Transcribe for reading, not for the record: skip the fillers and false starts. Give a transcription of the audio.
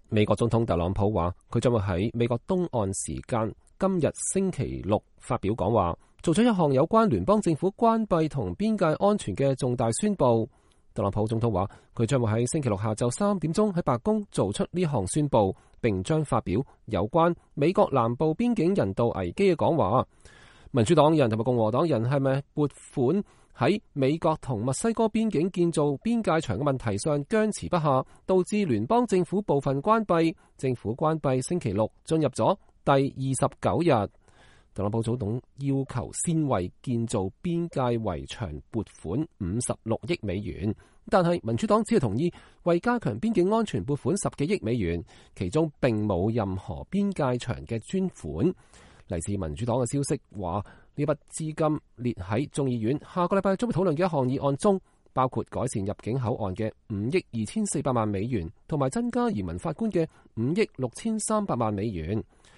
美國總統特朗普話，佢將會喺美國東岸時間今日星期六發表講話，做咗一項有關聯邦政府關閉同邊界安全嘅重大宣佈。特朗普總統話，佢將會喺星期六下晝3點鐘喺白宮做出呢項宣佈，並將發表有關美國南部邊境人道危機嘅講話。民主黨人同埋共和黨人係咪撥款喺美國同墨西哥邊境建造邊界牆嘅問題上僵持不下，導致聯邦政府部分關閉。政府關閉星期六進入咗第29日。特朗普總統要求先為建造邊界圍牆撥款56億美元，但係民主黨只係同意為加強邊境安全撥款10幾億美元，其中並冇任何邊界牆嘅專款。嚟自民主黨嘅消息話，呢筆資金列喺眾議院下個禮拜將會討論嘅一項議案中，包括改善入境口岸嘅5億2400萬美元，同埋增加移民法官嘅5億6300萬美元。